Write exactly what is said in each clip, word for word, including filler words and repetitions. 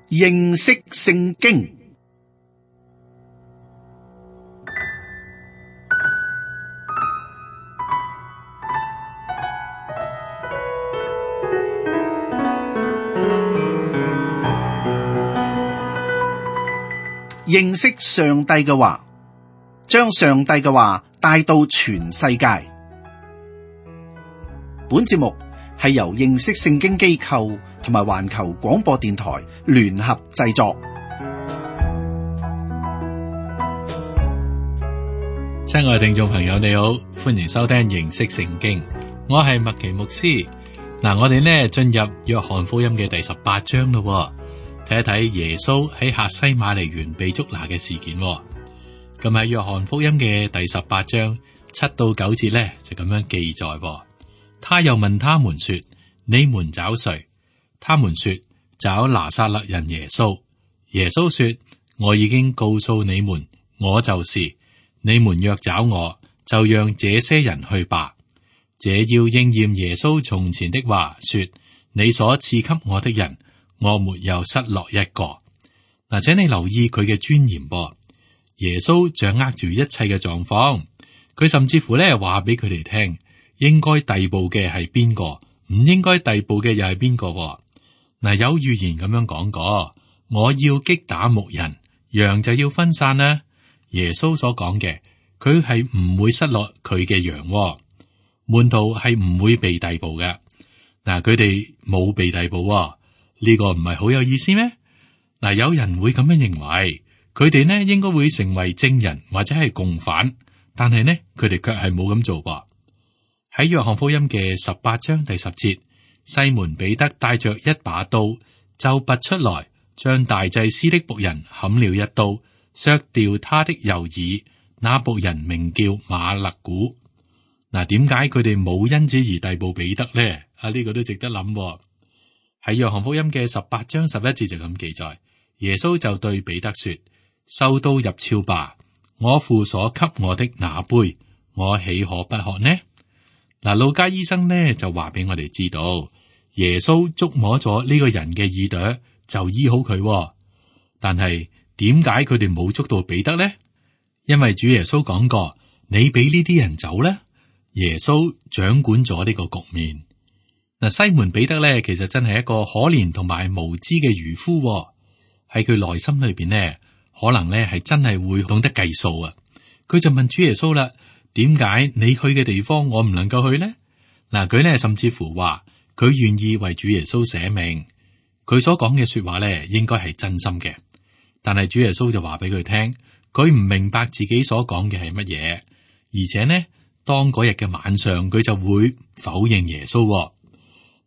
認識聖經。認識上帝嘅話，將上帝嘅話帶到全世界。本節目係由認識聖經機構同埋環球廣播電台聯合製作。親愛的聽眾朋友，你好，歡迎收聽認識聖經。我係麥奇牧師。嗱，我哋呢進入約翰福音嘅第十八章咯。睇一睇耶穌喺客西馬尼園被捉拿嘅事件。咁喺約翰福音嘅第十八章七到九節呢，就咁樣記載。他又問他們說：你們找誰？他們說：找拿撒勒人耶穌。耶穌說：我已經告訴你們，我就是。你們若找我，就讓這些人去吧。這要應驗耶穌從前的話，說：你所賜給我的人，我沒有失落一個。嗱，請你留意佢嘅尊嚴噃。耶穌掌握住一切嘅狀況，佢甚至乎咧話俾佢哋聽，應該逮捕嘅係邊個，唔應該逮捕嘅又係邊個。嗱，有預言咁樣講過，我要擊打牧人，羊就要分散啦。耶穌所講嘅，佢係唔會失落佢嘅羊，門徒係唔會被逮捕嘅。嗱，佢哋冇被逮捕。呢個唔係好有意思咩？嗱，有人會咁樣認為，佢哋呢應該會成為證人或者係共犯，但係呢，佢哋卻係冇咁做噃。喺約翰福音嘅十八章第十節，西門彼得帶着一把刀，就拔出來，將大祭司的僕人砍了一刀，削掉他的右耳。那僕人名叫馬勒古。嗱，點解佢哋冇因此而逮捕彼得呢？啊，呢個都值得諗。喺約翰福音嘅十八章十一節就咁記載，耶穌就對彼得說：收刀入鞘吧，我父所給我的那杯，我豈可不喝呢？嗱，路加醫生呢就話俾我哋知道，耶穌觸摸咗呢個人嘅耳朵就醫好佢。但係點解佢哋冇捉到彼得呢？因為主耶穌講過，你俾呢啲人走呢，耶穌掌管咗呢個局面。嗱，西門彼得咧，其實真係一個可憐同埋無知嘅漁夫。喺佢內心裏邊呢，可能咧係真係會懂得計數啊。佢就問主耶穌啦：點解你去嘅地方我唔能夠去呢？嗱，佢咧甚至乎話佢願意為主耶穌捨命。佢所講嘅說話咧，應該係真心嘅。但係主耶穌就話俾佢聽，佢唔明白自己所講嘅係乜嘢，而且呢，當嗰日嘅晚上，佢就會否認耶穌。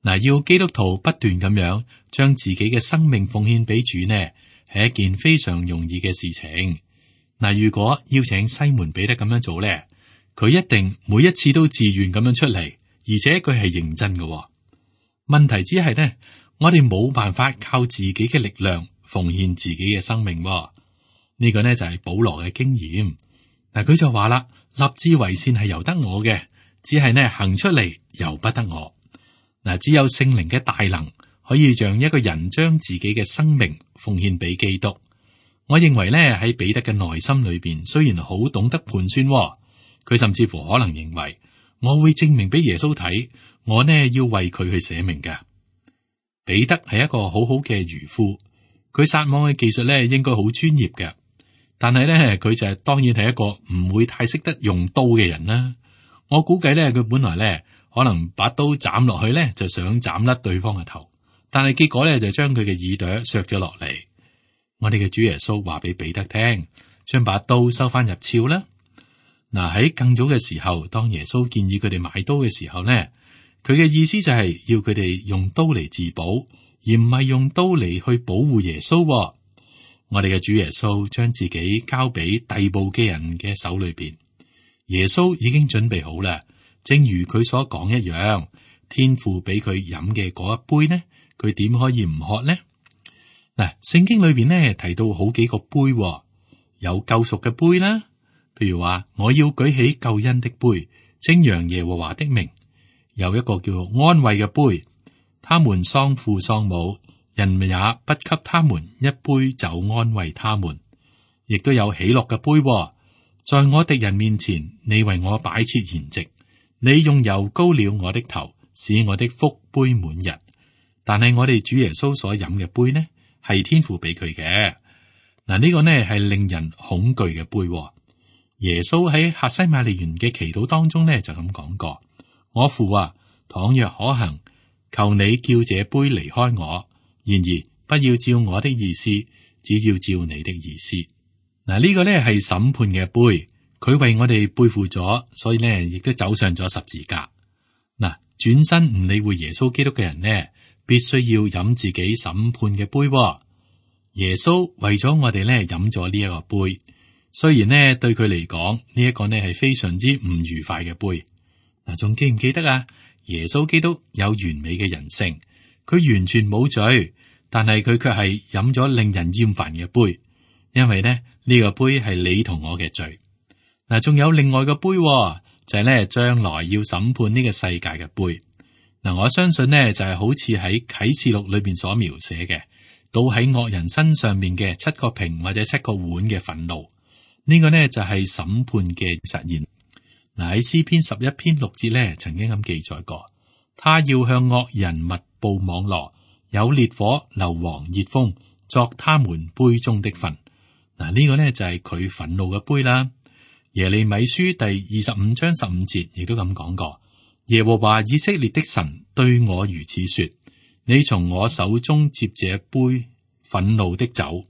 嗱，要基督徒不斷咁樣將自己嘅生命奉獻俾主呢，係一件非常容易嘅事情。嗱，如果邀請西門彼得咁樣做咧，佢一定每一次都自願咁樣出嚟，而且佢係認真嘅。問題只係呢，我哋冇辦法靠自己嘅力量奉獻自己嘅生命。呢個呢就係保羅嘅經驗。嗱，佢就話啦，立志為善係由得我嘅，只係呢行出嚟由不得我。嗱，只有聖靈嘅大能可以讓一個人將自己嘅生命奉獻俾基督。我認為咧，喺彼得嘅內心裏邊，雖然好懂得盤算，佢甚至乎可能認為我會證明俾耶穌睇，我呢要為佢去捨命嘅。彼得係一個好好嘅漁夫，佢撒網嘅技術咧應該好專業嘅，但係咧佢就係當然係一個唔會太識得用刀嘅人啦。我估計咧，佢本來咧。可能把刀斬落去咧，就想斬甩對方嘅頭，但係結果咧就將佢嘅耳朵削咗落嚟。我哋嘅主耶穌話俾彼得聽，將把刀收翻入鞘啦。嗱，喺更早嘅時候，當耶穌建議佢哋買刀嘅時候呢，佢嘅意思就係要佢哋用刀嚟自保，而唔係用刀嚟去保護耶穌。我哋嘅主耶穌將自己交俾逮捕嘅人嘅手裏邊，耶穌已經準備好啦。正如佢所講一樣，天父俾佢飲嘅嗰一杯呢，佢點可以唔喝呢？嗱，聖經裏邊呢提到好幾個杯，有救贖嘅杯啦，譬如話我要舉起救恩的杯，稱揚耶和華的名；有一個叫安慰嘅杯，他們喪父喪母，人也不給他們一杯酒安慰他們，亦都有喜樂嘅杯、哦。在我敵人面前，你為我擺設筵席，你用油膏了我的頭，使我的福杯滿溢。但係我哋主耶穌所飲嘅杯呢，係天父俾佢嘅。嗱，呢個呢係令人恐懼嘅杯、哦。耶穌喺客西馬尼園嘅祈禱當中呢，就咁講過：我父啊，倘若可行，求你叫這杯離開我，然而不要照我的意思，只要照你的意思。嗱，呢個呢係審判嘅杯，佢為我哋背負咗，所以呢亦都走上咗十字架。嗱，轉身唔理會耶穌基督嘅人呢，必須要飲自己審判嘅杯、哦。耶穌為咗我哋呢飲咗呢一個杯，雖然呢對佢嚟講呢一個呢係非常之唔愉快嘅杯。嗱，仲記唔記得啊？耶穌基督有完美嘅人性，佢完全冇罪，但係佢卻係飲咗令人厭煩嘅杯，因為呢呢、這個杯係你同我嘅罪。嗱，仲有另外個杯、哦，就係呢將來要審判呢個世界嘅杯。嗱，我相信呢就係、是、好似喺啟示錄裏邊所描寫嘅，倒喺惡人身上面嘅七個瓶或者七個碗嘅憤怒。呢、這個呢就係、是、審判嘅實現。嗱，喺詩篇十一篇六節呢曾經咁記載過，他要向惡人密布網羅，有烈火硫磺熱風作他們杯中的分。嗱，呢個呢就係佢憤怒嘅杯啦。耶利米書第二十五章十五節亦都咁講過，耶和華以色列的神對我如此說：你從我手中接這杯憤怒的酒，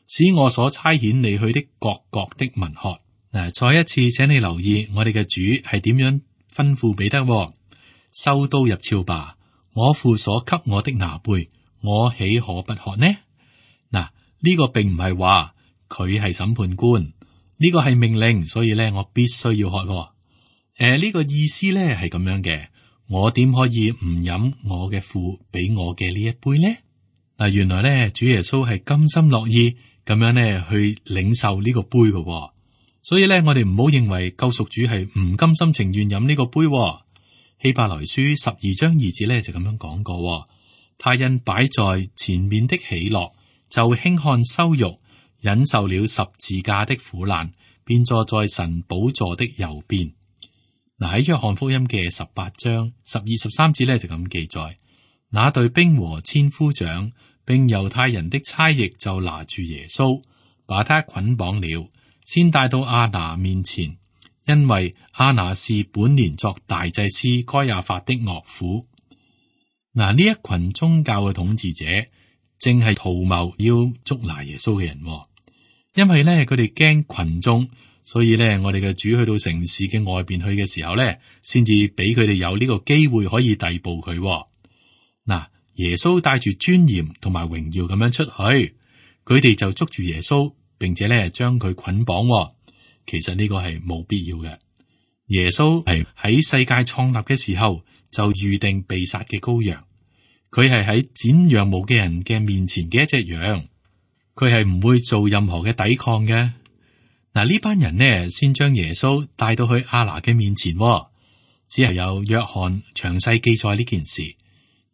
使我所差遣你去的各國的民喝。嗱，再一次請你留意我哋嘅主係點樣吩咐彼得：收刀入鞘吧，我父所給我的那杯，我豈可不喝呢？嗱，呢個並唔係話佢係審判官，呢個係命令，所以咧我必須要喝。誒、呃，呢個意思咧係咁樣嘅，我點可以唔飲我嘅父俾我嘅呢一杯呢？嗱，原來咧主耶穌係甘心樂意咁樣咧去領受呢個杯嘅。所以咧，我哋唔好認為救贖主係唔甘心情願飲呢個杯。希伯來書十二章二節咧就咁樣講過，他因擺在前面的喜樂，就輕看羞辱，忍受了十字架的苦難，便坐在神寶座的右邊。嗱，喺約翰福音嘅十八章十二十三節咧就咁記載，那隊兵和千夫長並猶太人的差役就拿住耶穌，把他捆綁了。先帶到亞拿面前，因為亞拿是本年作大祭司該亞法的岳父。嗱，呢一群宗教嘅統治者正係圖謀要捉拿耶穌嘅人，因為咧佢哋驚群眾，所以咧我哋嘅主去到城市嘅外邊去嘅時候咧，先至俾佢哋有呢個機會可以逮捕佢。嗱，耶穌帶住尊嚴同埋榮耀咁樣出去，佢哋就捉住耶穌。並且咧將佢捆綁，其實呢個係冇必要嘅。耶穌係喺世界創立嘅時候就預定被殺嘅羔羊，佢係喺剪羊毛嘅人嘅面前嘅一隻羊，佢係唔會做任何嘅抵抗嘅。嗱，呢班人呢先將耶穌帶到去亞拿嘅面前，只係有約翰詳細記載呢件事。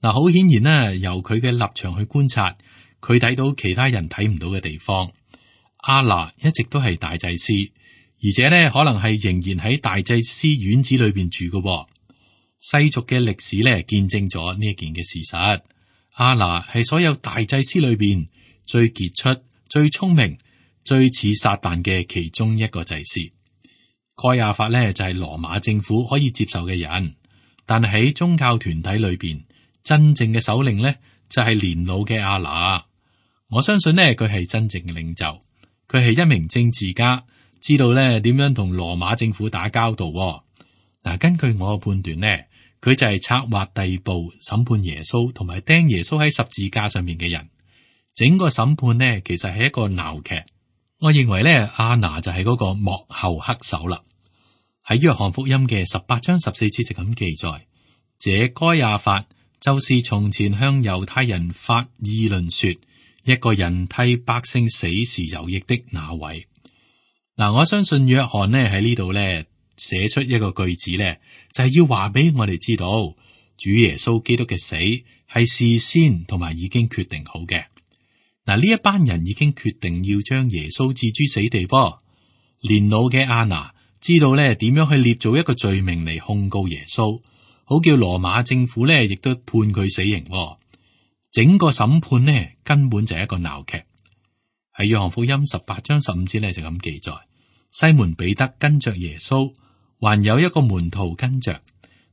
嗱，好顯然呢，由佢嘅立場去觀察，佢睇到其他人睇唔到嘅地方。亞拿一直都係大祭司，而且呢可能係仍然喺大祭司院子裏邊住嘅。世俗嘅歷史呢見證咗呢一件嘅事實。亞拿係所有大祭司裏邊最傑出、最聰明、最似撒旦嘅其中一個祭司。該亞法呢就係羅馬政府可以接受嘅人，但係喺宗教團體裏邊，真正嘅首領呢就係年老嘅亞拿。我相信呢佢係真正嘅領袖。佢係一名政治家，知道咧點樣同羅馬政府打交道。嗱，根據我嘅判斷呢，佢就係策劃逮捕、審判耶穌同埋釘耶穌喺十字架上面嘅人。整個審判呢，其實係一個鬧劇。我認為咧，亞拿就係嗰個幕後黑手啦。喺約翰福音嘅十八章十四節就咁記載，這該亞法就是從前向猶太人發議論說，一個人替百姓死是有益的那位。嗱，我相信約翰呢喺呢度呢寫出一個句子呢，就係要話俾我哋知道，主耶穌基督嘅死係事先同埋已經決定好嘅。嗱，呢一班人已經決定要將耶穌置諸死地噃。年老嘅亞拿知道咧點樣去捏造一個罪名嚟控告耶穌，好叫羅馬政府咧亦都判佢死刑。整個審判呢根本就係一個鬧劇。喺約翰福音十八章十五節咧就咁記載：西門彼得跟着耶穌，還有一個門徒跟着，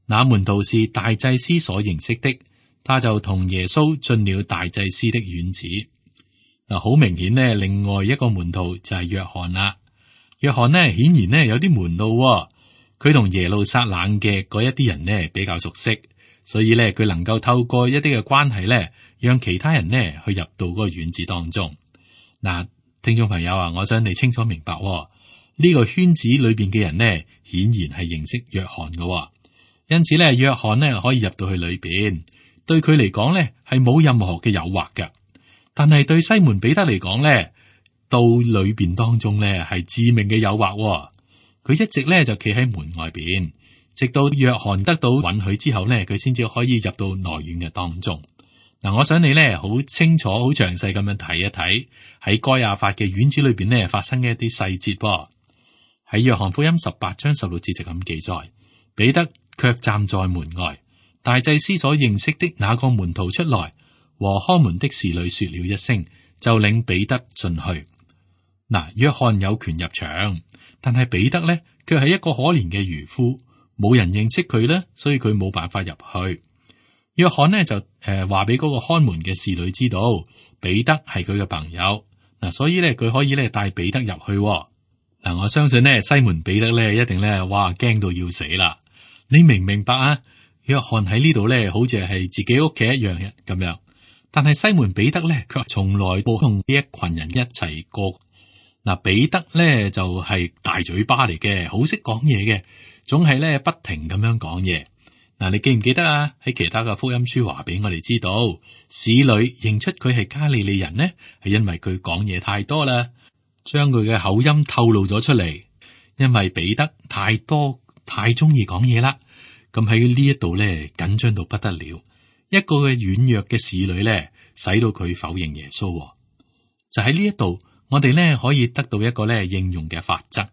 那門徒是大祭司所認識的，他就同耶穌進了大祭司的院子。嗱，好明顯呢，另外一個門徒就係約翰啦。約翰呢顯然呢有啲門路，佢同耶路撒冷嘅嗰一啲人呢比較熟悉，所以呢，佢能夠透過一啲嘅關係呢，讓其他人呢去入到嗰個院子當中。嗱，聽眾朋友啊，我想你清楚明白呢、呢個圈子裏邊嘅人呢，顯然係認識約翰嘅，因此呢，約翰呢可以入到去裏邊，對佢嚟講呢係冇任何嘅誘惑嘅。但係對西門彼得嚟講咧，到裏邊當中咧係致命嘅誘惑。佢一直咧就企喺門外邊，直到約翰得到允許之後咧，佢先至可以入到內院嘅當中。嗱，我想你咧好清楚、好詳細咁樣睇一睇喺該亞法嘅院子裏邊咧發生嘅一啲細節噃。喺約翰福音十八章十六節就咁記載：彼得卻站在門外，大祭司所認識的那個門徒出來，和看門的侍女說了一聲，就領彼得進去。嗱，約翰有權入場，但係彼得呢，卻係一個可憐嘅漁夫，冇人認識佢呢，所以佢冇辦法入去。約翰呢就誒話俾嗰個看門嘅侍女知道，彼得係佢嘅朋友，嗱，所以呢，佢可以咧帶彼得入去。嗱，我相信呢，西門彼得呢一定咧，哇，驚到要死啦！你明唔明白啊？約翰喺呢度呢，好似係自己屋企一樣嘅咁樣。但係西門彼得咧，卻從來冇同呢一群人一齊過。嗱，彼得咧就係大嘴巴嚟嘅，好識講嘢嘅，總係咧不停咁樣講嘢。嗱，你記唔記得啊？喺其他嘅福音書話俾我哋知道，使女認出佢係加利利人呢，係因為佢講嘢太多啦，將佢嘅口音透露咗出嚟。因為彼得太多太中意講嘢啦，咁喺呢一度咧緊張到不得了。一個嘅軟弱嘅侍女咧，使到佢否認耶穌。就喺呢一度，我哋咧可以得到一個咧應用嘅法則。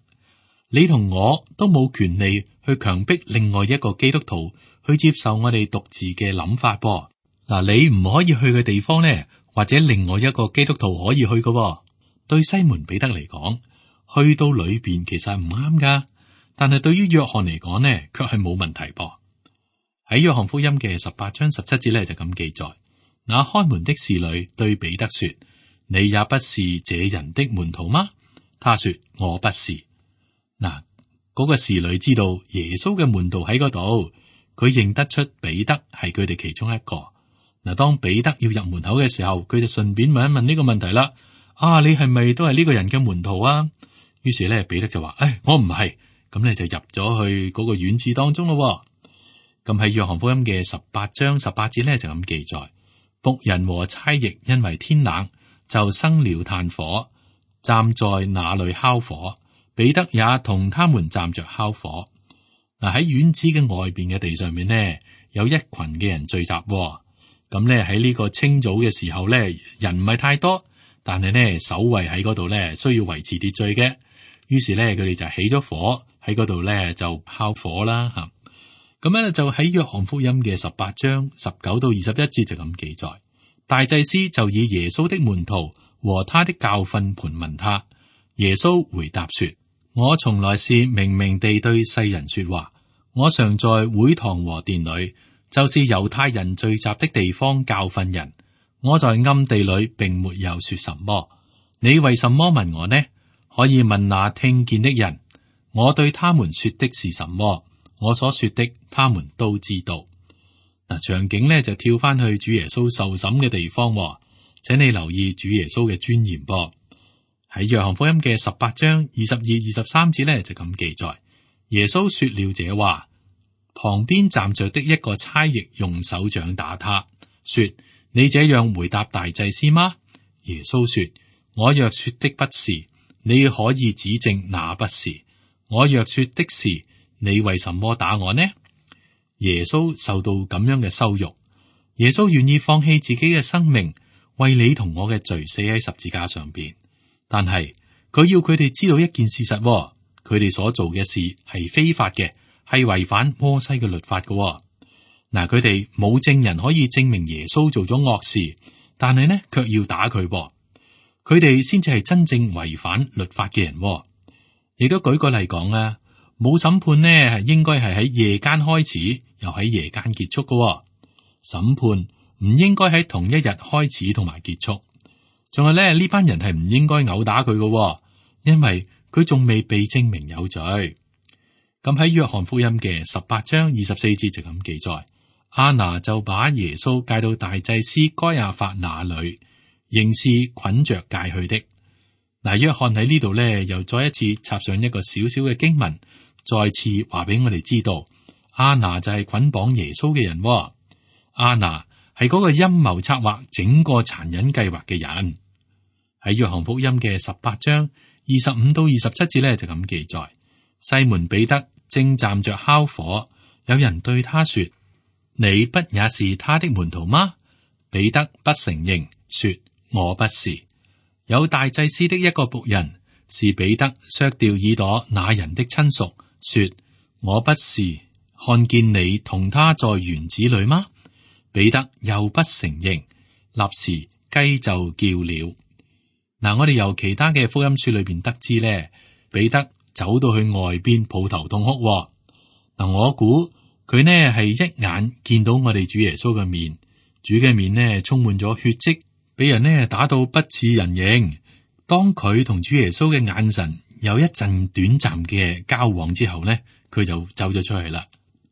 你同我都冇權利去強迫另外一個基督徒去接受我哋獨自嘅諗法噃。嗱，你唔可以去嘅地方咧，或者另外一個基督徒可以去嘅。對西門彼得嚟講，去到裏邊其實係唔啱噶，但係對於約翰嚟講呢，卻係冇問題噃。喺約翰福音嘅十八章十七節咧就咁記載：那看門的侍女對彼得說，你也不是這人的門徒嗎？他說，我不是。嗱，嗰個侍女知道耶穌嘅門徒喺嗰度，佢認得出彼得係佢哋其中一個。嗱，當彼得要入門口嘅時候，佢就順便問一問呢個問題啦：啊，你係咪都係呢個人嘅門徒啊？於是咧，彼得就話：誒，我唔係。咁你就入咗去嗰個院子當中咯。咁喺約翰福音嘅十八章十八節咧就咁記載：僕人和差役因為天冷，就生了炭火，站在那裏烤火。彼得也同他們站着烤火。嗱，喺院子嘅外邊嘅地上面呢，有一群嘅人聚集。咁咧喺呢個清早嘅時候咧，人唔係太多，但係呢守衛喺嗰度咧需要維持秩序嘅。於是咧佢哋就起咗火喺嗰度咧就烤火啦吓。咁咧就喺約翰福音嘅十八章十九到二十一節就咁記載，大祭司就以耶穌的門徒和他的教訓盤問他。耶穌回答說：我從來是明明地對世人說話，我常在會堂和殿裏，就是猶太人聚集的地方教訓人。我在暗地裏並沒有說什麼。你為什麼問我呢？可以問那聽見的人。我對他們說的是什麼？我所說的，他們都知道。嗱，場景呢就跳翻去主耶穌受審嘅地方，請你留意主耶穌嘅尊嚴噃。喺約翰福音嘅十八章二十二、二十三節呢就咁記載，耶穌說了這話，旁邊站着的一個差役用手掌打他，說：你這樣回答大祭司嗎？耶穌說：我若說的不是，你可以指證那不是；我若說的是，你為什麼打我呢？耶穌受到咁樣嘅羞辱，耶穌願意放棄自己嘅生命，為你同我嘅罪死喺十字架上邊。但係佢要佢哋知道一件事實，佢哋所做嘅事係非法嘅，係違反摩西嘅律法嘅。嗱，佢哋冇證人可以證明耶穌做咗惡事，但係呢卻要打佢。佢哋先至係真正違反律法嘅人。亦都舉個例講啊，冇審判呢係應該係喺夜間開始，又喺夜間結束嘅。審判唔應該喺同一日開始同埋結束。仲係咧，呢班人係唔應該毆打佢嘅，因為佢仲未被證明有罪。咁喺約翰福音嘅十八章二十四節就咁記載，亞拿就把耶穌帶到大祭司該亞法那裏，仍是捆着戒去的。嗱，約翰喺呢度咧，又再一次插上一個小小嘅經文，再次話俾我哋知道，亞拿就係捆綁耶穌嘅人。亞拿係嗰個陰謀策劃整個殘忍計劃嘅人。喺約翰福音嘅十八章二十五到二十七節咧，就咁記載，西門彼得正站着烤火，有人對他說：你不也是他的門徒嗎？彼得不承認，說：我不是。有大祭司的一個僕人是彼得削掉耳朵那人的親屬，說：我不是看見你同他在園子裏嗎？彼得又不承認，立時雞就叫了。嗱，我哋由其他嘅福音書裏邊得知咧，彼得走到去外邊抱頭痛哭。嗱，我估佢呢係一眼見到我哋主耶穌嘅面，主嘅面呢充滿咗血跡，俾人呢打到不似人形。當佢同主耶穌嘅眼神有一陣短暫嘅交往之後呢，佢就走咗出去啦。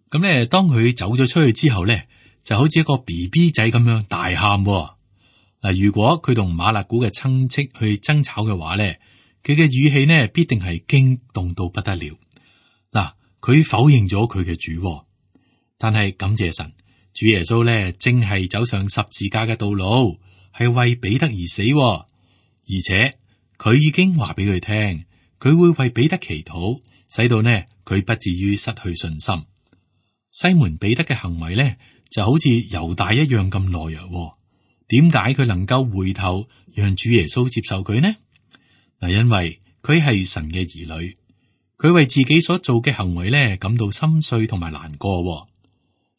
咁咧，當佢走咗出去之後咧，就好似一個 B B 仔咁樣大喊。嗱，如果佢同馬勒古嘅親戚去爭吵嘅話咧，佢嘅語氣呢必定係驚動到不得了。嗱，佢否認咗佢嘅主，但係感謝神，主耶穌咧正係走上十字架嘅道路，係為彼得而死，而且佢已經話俾佢聽，佢會為彼得祈禱，使到呢佢不至於失去信心。西門彼得嘅行為咧就好似猶大一樣咁懦弱。點解佢能夠回頭讓主耶穌接受佢呢？嗱，因為佢係神嘅兒女，佢為自己所做嘅行為咧感到心碎同埋難過。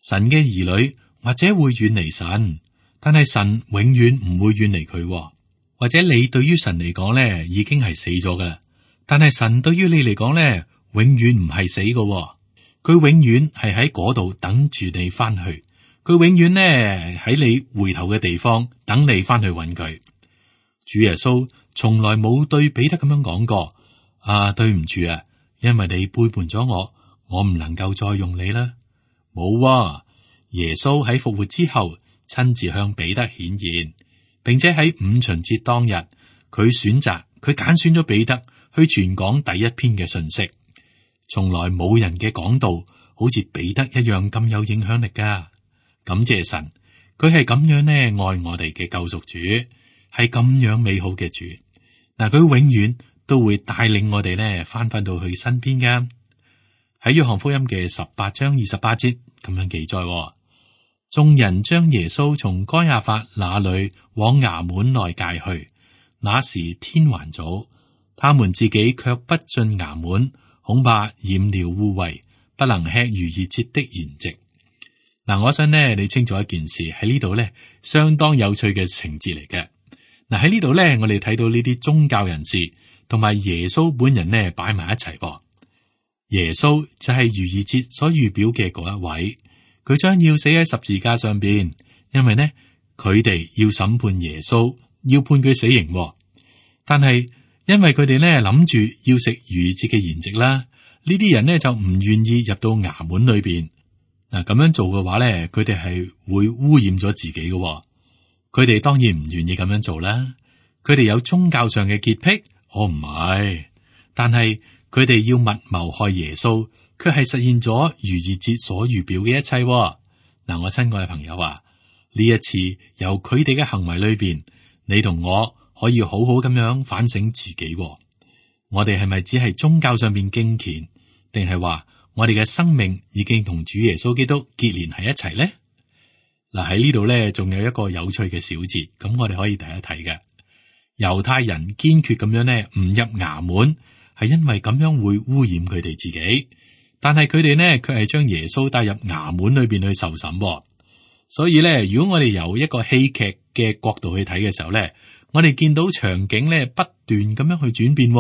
神嘅兒女或者會遠離神，但係神永遠唔會遠離佢。或者你對於神嚟講咧已經係死咗噶啦，但係神對於你嚟講咧永遠唔係死嘅，佢永遠係喺嗰度等住你翻去。佢永遠呢喺你回頭嘅地方等你翻去揾佢。主耶穌從來冇對彼得咁樣講過：啊，對唔住啊，因為你背叛咗我，我唔能夠再用你啦。冇啊，耶穌喺復活之後親自向彼得顯現，並且喺五旬節當日，佢選擇佢揀選咗彼得去傳講第一篇嘅信息。從來冇人嘅講道好似彼得一樣咁有影響力噶。感謝神，佢係咁樣呢愛我哋嘅救贖主，係咁樣美好嘅主。嗱，佢永遠都會帶領我哋呢翻返到佢身邊噶。喺約翰福音嘅十八章二十八節咁樣記載，眾人將耶穌從該亞法那裏往衙門內介去，那時天還早，他們自己卻不進衙門，恐怕染了污穢，不能吃逾越節的筵席。嗱，我想呢，你清楚一件事喺呢度呢，相當有趣嘅情節嚟嘅。嗱，喺呢度呢，我哋睇到呢啲宗教人士同埋耶穌本人呢擺埋一齊噃。耶穌就係逾越節所預表嘅嗰一位，佢將要死喺十字架上邊，因為呢佢哋要審判耶穌，要判佢死刑。但係因為佢哋呢諗住要食逾越節嘅筵席啦，呢啲人呢就唔願意入到衙門裏邊。嗱，咁樣做嘅話咧，佢哋係會污染咗自己嘅。佢哋當然唔願意咁樣做啦。佢哋有宗教上嘅潔癖，我唔係。但係佢哋要密謀害耶穌，卻係實現咗逾越節所預表嘅一切。嗱，我親愛嘅朋友啊，呢一次由佢哋嘅行為裏邊，你同我可以好好咁樣反省自己。我哋係咪只係宗教上邊敬虔，定係話我哋嘅生命已經同主耶穌基督結連喺一齊呢？嗱，喺呢度咧，仲有一個有趣嘅小節，咁我哋可以睇一睇嘅。猶太人堅決咁樣咧，唔入衙門，係因為咁樣會污染佢哋自己。但係佢哋呢，卻係將耶穌帶入衙門裏邊去受審。所以咧，如果我哋由一個戲劇嘅角度去睇嘅時候咧，我哋見到場景咧不斷咁樣去轉變，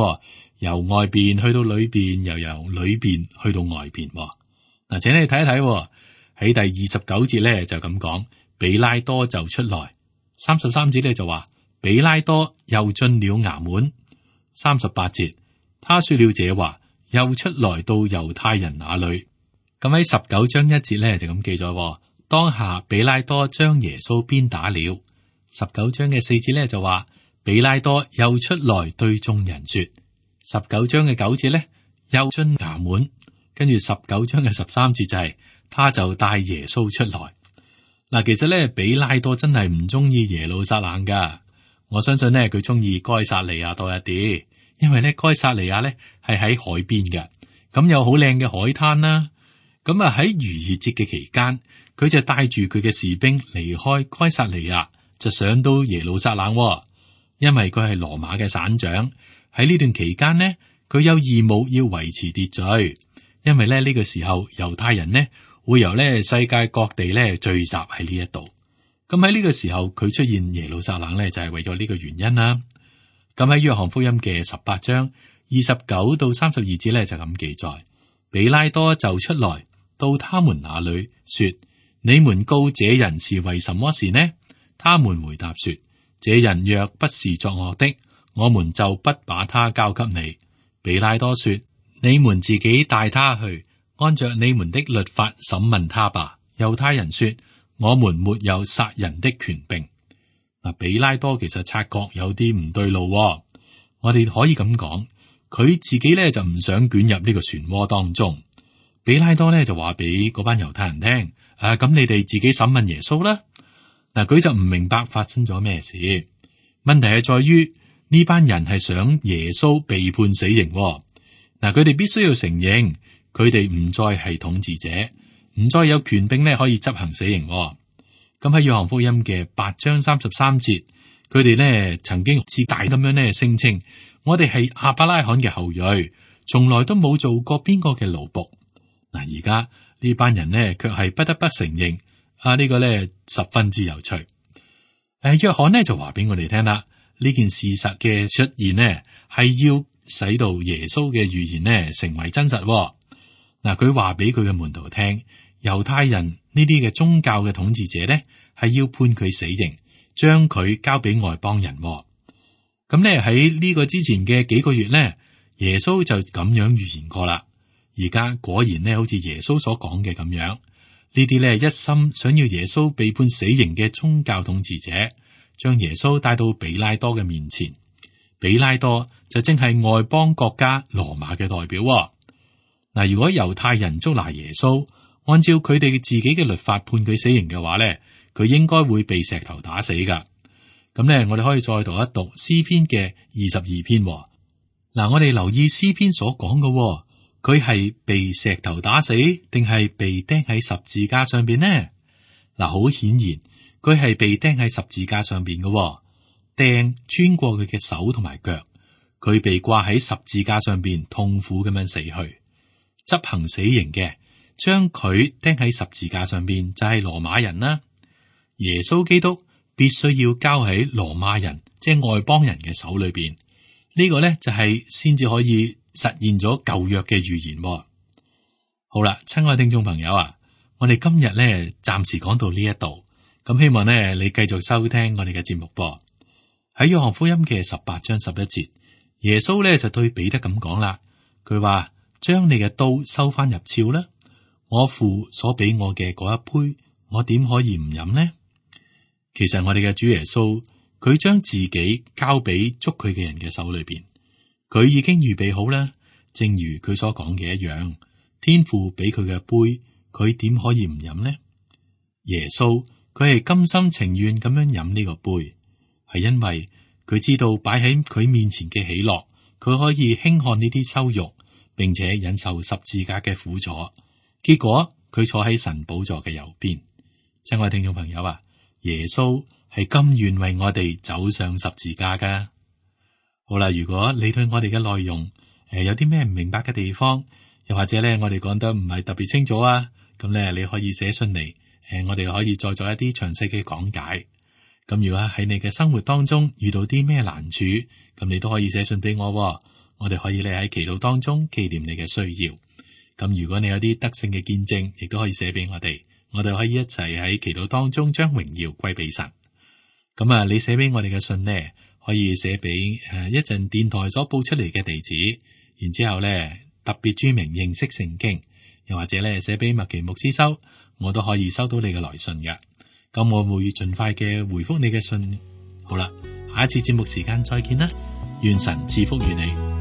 由外邊去到裏邊，又由裏邊去到外邊。嗱，請你睇一睇喺第二十九節咧就咁講，比拉多就出來。三十三節咧就話，比拉多又進了衙門。三十八節，他說了這話，又出來到猶太人那裏。咁喺十九章一節咧就咁記咗，當下比拉多將耶穌鞭打了。十九章嘅四節咧就話，比拉多又出來對眾人說。十九章嘅九節咧又進衙門，跟住十九章嘅十三節就係、是，他就帶耶穌出來。嗱，其實咧比拉多真係唔中意耶路撒冷噶，我相信咧佢中意該撒利亞多一啲，因為咧該撒利亞咧係喺海邊嘅，咁有好靚嘅海灘啦。咁啊喺逾越節嘅期間，佢就帶住佢嘅士兵離開該撒利亞，就上到耶路撒冷，因為佢係羅馬嘅省長。喺呢段期間呢，佢有義務要維持秩序，因為咧呢個時候猶太人呢會由咧世界各地咧聚集喺呢一度。咁喺呢個時候佢出現耶路撒冷咧就係為咗呢個原因啦。咁喺約翰福音嘅十八章二十九到三十二節咧就咁記載，比拉多就出來到他們那裏說，你們告這人是為什麼事呢？他們回答說，這人若不是作惡的，我們就不把他交給你。比拉多說，你們自己帶他去，按着你們的律法審問他吧。猶太人說，我們沒有殺人的權柄。嗱，比拉多其實察覺有啲唔對路，我哋可以咁講，佢自己咧就唔想捲入呢個漩渦當中。比拉多咧就話俾嗰班猶太人聽，啊，咁你哋自己審問耶穌啦。嗱，佢就唔明白發生咗咩事。問題係在於呢班人係想耶穌被判死刑。嗱，佢哋必須要承認，佢哋唔再係統治者，唔再有權柄咧可以執行死刑。咁喺約翰福音嘅八章三十三節，佢哋咧曾經自大咁樣咧聲稱，我哋係亞伯拉罕嘅後裔，從來都冇做過邊個嘅奴僕。嗱，而家呢班人呢，卻係不得不承認啊！呢個呢，十分之有趣。誒，約翰呢就話俾我哋聽啦，呢件事實嘅出現呢，係要使到耶穌嘅預言呢成為真實。嗱，佢話俾佢嘅門徒聽，猶太人呢啲嘅宗教嘅統治者呢，係要判佢死刑，將佢交俾外邦人。咁呢，喺呢個之前嘅幾個月呢，耶穌就咁樣預言過啦。而家果然呢，好似耶穌所講嘅咁樣，呢啲呢一心想要耶穌被判死刑嘅宗教統治者，將耶穌帶到比拉多嘅面前。比拉多就正係外邦國家羅馬嘅代表。嗱，如果猶太人捉拿耶穌，按照佢哋自己嘅律法判佢死刑嘅話呢，佢應該會被石頭打死噶。咁呢，我哋可以再讀一讀詩篇嘅二十二篇。嗱，我哋留意詩篇所講嘅。佢係被石頭打死，定係被釘喺十字架上邊呢？嗱，好顯然，佢係被釘喺十字架上邊嘅，釘穿過佢嘅手同埋腳，佢被掛喺十字架上邊，痛苦咁樣死去。執行死刑嘅，將佢釘喺十字架上邊，就係羅馬人啦。耶穌基督必須要交喺羅馬人，即係外邦人嘅手裏邊。呢個咧就係先至可以實現咗舊約嘅預言。好啦，親愛聽眾朋友啊，我哋今日咧暫時講到呢一度，咁希望咧你繼續收聽我哋嘅節目噃。喺約翰福音嘅十八章十一節，耶穌咧就對彼得咁講啦，佢話，將你嘅刀收翻入鞘啦，我父所俾我嘅嗰一杯，我點可以唔飲呢？其實我哋嘅主耶穌，佢將自己交俾捉佢嘅人嘅手裏邊。佢已經預備好啦，正如佢所講嘅一樣，天父俾佢嘅杯，佢點可以唔飲呢？耶穌佢係甘心情願咁樣飲呢個杯，係因為佢知道擺喺佢面前嘅喜樂，佢可以輕看呢啲羞辱，並且忍受十字架嘅苦楚。結果佢坐喺神寶座嘅右邊，親愛聽眾朋友啊，耶穌係甘願為我哋走上十字架噶。好啦，如果你對我哋嘅內容誒、呃、有啲咩唔明白嘅地方，又或者咧我哋講得唔係特別清楚啊，咁咧你可以寫信嚟，誒、呃、我哋可以再做一啲詳細嘅講解。咁如果喺你嘅生活當中遇到啲咩難處，咁你都可以寫信俾我、哦，我哋可以咧喺祈禱當中紀念你嘅需要。咁如果你有啲得勝嘅見證，亦都可以寫俾我哋，我哋可以一齊喺祈禱當中將榮耀歸俾神。咁啊，你寫俾我哋嘅信呢，可以寫俾誒一陣電台所報出嚟嘅地址，然之後咧特別注明認識聖經，又或者咧寫俾麥奇牧師收，我都可以收到你嘅來信嘅。咁我會盡快嘅回覆你嘅信。好啦，下一次節目時間再見啦，願神賜福於你。